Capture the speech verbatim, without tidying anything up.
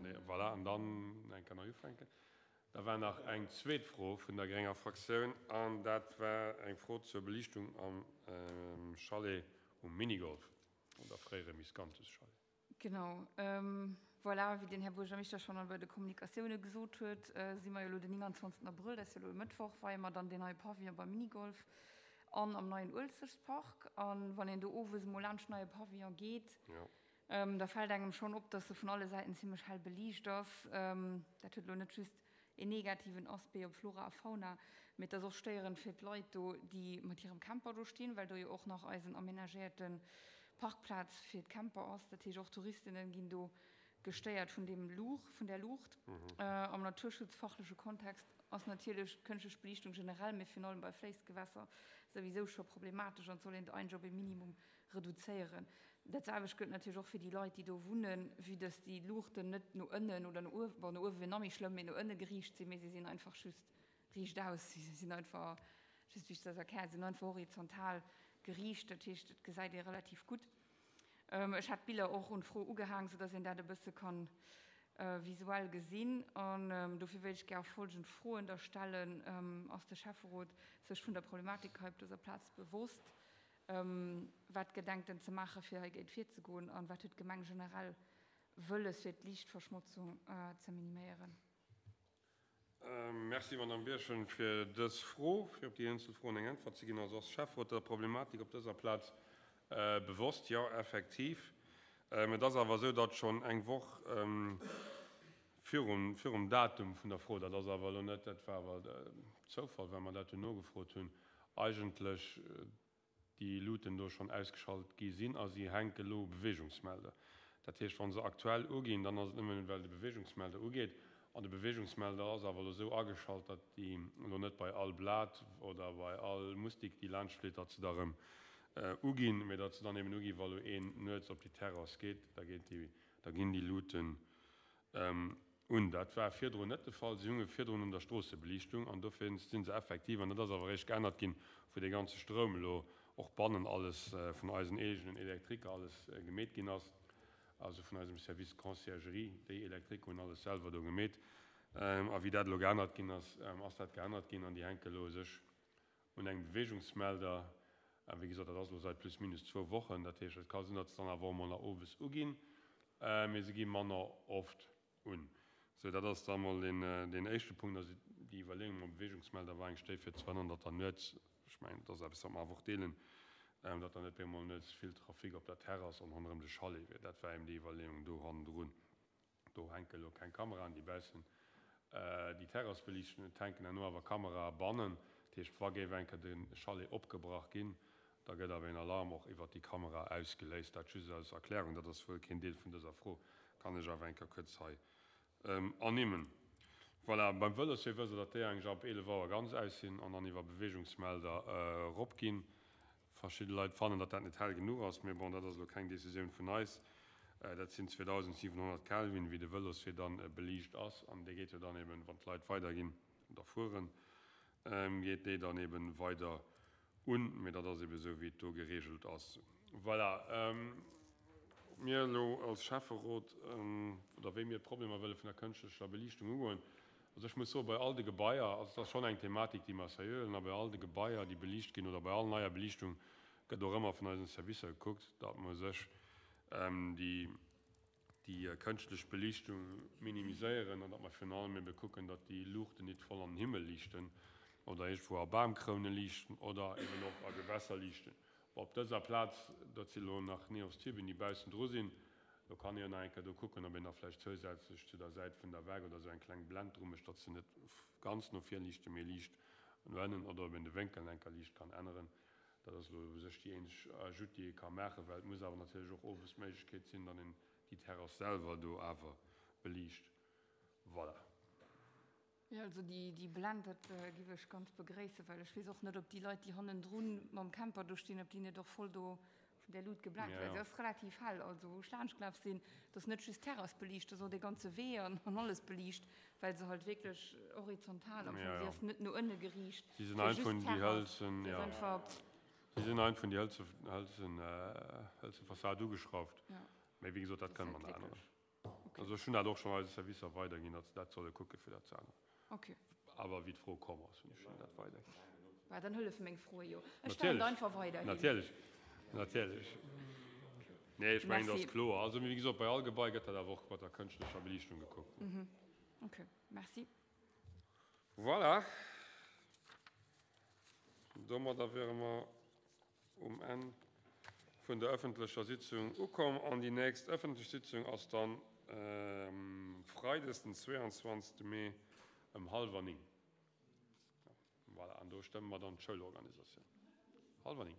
Nee, voilà, an dann eng Kéier nei ufänken. Da war nach eng zweet Fro vun der grénger Fraktioun, an dat war eng Fro zur Beliichtung am Chalet um Minigolf oder fréiere Miscanthus-Chalet. Genau. Voilà, wéi den Här Buergermeeschter schonn bei de Kommunikatioune gesot huet, si mer jo elo den nénganzwanzegsten Abrëll, dat ass jo elo e Mëttwoch, weie mer dann deen neie Pavillon beim Minigolf an am neien Uelzechtpark. A wann een do owes emol laanscht den neie Pavillon geet, da fält engem schonn op, dass e vun alle Säiten zimmlech hell beliicht ass. Dat huet elo net just een negativen Aspect op Flora a Fauna, mee et ass och stéierend fir d'Leit do, déi mat hirem Camper do stinn, well do jo och nach eisen amenagéierte Parkplaz fir d'Camper ass. Dat heescht, och Touristinnen ginn do gestéiert vun deem Luucht, vun där Luucht. Am naturschutzfachleche Kontext ass natierlech d'kënschtlech Beliichtung generell, mee virun allem bei Fléissgewässer souwisou scho problematesch an et soll een eigentlech op ee Minimum reduzéieren. Dat selwecht gëllt natierlech och fir déi Leit, déi do wunnen, vue dass déi Luuchten net no ënnen oder no uewen, bon, no uewe wier nach méi schlëmm, mee no ënne geriicht sinn, mee si sinn einfach just riichtaus, si sinn einfach, just wéi ech dat erklären, si sinn einfach horizontal geriicht, dat heescht, et gesäit ee relativ gutt. Ech hat d'Biller och un d'Fro ugehaang, soudass een dat e bësse kann visuell gesinn. An dofir wéilt ech gär folgend Froen da stellen, Ass de Schäfferot sech vun der Problematik hei op dëser Plaz bewosst? Wat gedenkt en ze maachen, fir heigéint virzegoen? An wat huet d'Gemeng generell wëlles, fir d'Liichtverschmotzung ze miniméieren? Merci, Madame Birchen, fir dës Fro. Fir op déi eenzel Froen eng Äntwert ze ginn, also ass de Schäfferot der Problematik op dëser Plaz bewosst? Jo, effektiv. Et ass awer esou, datt schonn eng Woch virum, virum Datum vun der Fro, dat ass awer elo net, dat war awer Zoufall, well mer dat jo nogefrot hunn, eigentlech déi Luuten do schonn ausgeschalt gi sinn a si hänke lo u Beweegungsmelder. Dat heescht, wa se aktuell uginn, dann ass et nëmmen, well de Beweegungsmelder ugeet. An de Beweegungsmelder ass awer elo esou ageschalt, datt déi elo net bei all Blat oder bei all Mustik, déi laanschtflitt, datt se da erëm uginn, mee datt se dann eben uginn, wa lo een nuets op déi Terrass geet, da geet déi, da ginn déi Luuten un. Dat war virdrun net de Fall. Si hunge virdrun un der Stroossebeliichtung an dofir si se effektiv, an dat ass awer eréischt geännert ginn, wou dee ganze Stroum elo och bannen alles vun eisen eegenen Elektriker alles gemeet ginn ass, also vun eisem Service Conciergerie, déi Elektriker hunn alles selwer do gemeet. A wéi dat elo geännert ginn ass, ass dat geännert ginn an déi hänke elo u sech un engem Beweegungsmelder. A wéi gesot, dat ass elo seit plus minus zwou Wochen. Dat heescht, et ka sinn, datt se dann awer och emol nach owes uginn, mee se gi manner oft un. Sou, dat ass da mol deen, deen éischte Punkt. Also déi Iwwerleeung mam Beweegungsmelder war eng Stéi fir ze verhënnern, datt dann nuets, ech mengen, dat ass eppes, wat mer awer och deelen, datt dann net op eemol nuets vill Trafic op der Terrass an ronderëm de Chalet wier. Dat war eben déi Iwwerleeung do hannendrun. Do hänke elo keng Kameraen, déi baussen déi Terrass beliichten. Et hänken herno awer Kamerae bannen. Dat heescht, wa géif eng Kéier de Chalet opgebrach ginn, da gëtt awer een Alarm och iwwert déi Kamera ausgeléist. Dat just als Erklärung. Dat ass wuel keen Deel vun dëser Fro, kann ech awer eng Kéier kuerz hei ernimmen. Voilà, beim Vëloswee wësst Der, datt déi eigentlech ab eelef Auer ganz aus sinn an dann iwwer Beweegungsmelder eropginn. Verschidde Leit fannen, datt dat net hell genuch ass, mee bon, dat ass elo keng Decisioun vun eis. Dat sinn zweedausendsiwenhonnert Kelvin, wéi de Vëloswee dann beliicht ass, an dee geet jo dann eben, wann d'Leit weiderginn oder fueren, geet déi dann eben weider un. Mee dat ass eben esou, wéi et do geregelt ass. Voilà. Ob mir elo als Schäfferot oder wéi mir d'Problemer wëlle vun der kënschtlecher Beliichtung ugoen, also ech muss soen, bei all de Gebaier, also et ass schonn eng Thematik, déi mer seriö huelen, a bei all de Gebaier, déi beliicht ginn oder bei all neier Beliichtung gëtt och ëmmer vun eisen Servicer gekuckt, datt mer u sech déi déi kënschtlech Beliichtung minimiséieren an datt mer virun allem ebe kucken, datt déi Luuchten nit voll an den Himmel liichten oder iergendwou a Bamkroune liichten oder eben och a Gewässer liichten. Op dëser Plaz, dat si lo nach Neos-Tüben, déi baussen dru sinn, do kann ee jo nach eng Kéier do kucken, ob een da vläicht zousätzlech zu der Säit vun der Waark oder esou eng kleng Blend dru mécht, datt se net ganz no vir liichten, mee liicht no ënnen, oder ob een de Wénkel eng Kéier liicht kann änneren. Dat ass elo u sech déi eenzeg Ajoute, déi ee ka maachen, well et muss awer natierlech och owes d'Méiglechkeet sinn, datt een déi Terrass selwer do awer beliicht. Voilà. Jo, also déi Blend, dat giff ech ganz begréissen, well ech weess och net, ob déi Leit, déi hannendrun mam Camper do stinn, ob déi net och voll do vun där Lut geblend ginn, well se ass relativ hell. Also wou ech laanschtgelaf sinn, et ass net just d'Terrass beliicht, et ass och dee ganze Wee an alles beliicht, well se halt wierklech horizontal am Fong, si ass net no ënne geriicht fir just d'Terrass, si ass einfach. Si sinn einfach un déi hëlze, hëlze, hëlze Fassad ugeschrauft. Mee wéi gesot, dat kënne mer nach änneren. Okay. Also ech hunn dat och schonn eise Servicer weiderginn, datt se dat solle kucke fir dat ze änneren. Okay. Awer wéi d'Fro komm ass, hunn ech hinnen dat weiderginn. Bah, dann hëllefe meng Froe jo. Ech stellen Natierlech. et einfach weiderhin. Natierlech. Natierlech. Nee, ech mengen, dat ass Merci. kloer. Also, wéi gesot, bei all Gebai gëtt dat awer och mat der kënschtlecher Beliichtung gekuckt. Mhm. Okay, merci. Voilà. Domadder wiere mer um Enn vun der ëffentlecher Sitzung ukomm. An déi nächst ëffentlech Sitzung ass dann freides den zweeanzwanzegste Mee ëm hallwer néng. Voilà, an do stëmme mer dann d'Schoulorganisatioun. Hallwer néng.